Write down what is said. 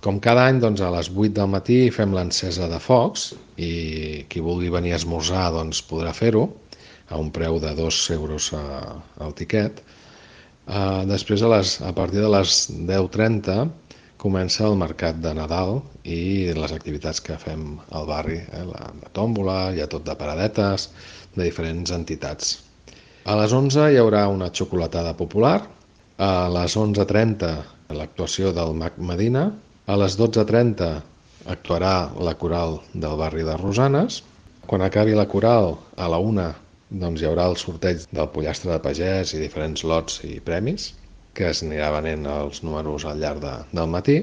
Com cada any, doncs, a les 8 del matí fem l'encesa de focs i qui vulgui venir a esmorzar doncs, podrà fer-ho a un preu de 2 euros al tiquet. Després, a partir de les 10:30, comença el mercat de Nadal i les activitats que fem al barri, la tòmbola, hi ha tot de paradetes, de diferents entitats. A les 11 hi haurà una xocolatada popular, a les 11:30 l'actuació del Mag Medina, a les 12:30 actuarà la coral del barri de Rosanes. Quan acabi la coral, a la 1 doncs, hi haurà el sorteig del pollastre de pagès i diferents lots i premis, que es anirà venent els números al llarg del matí.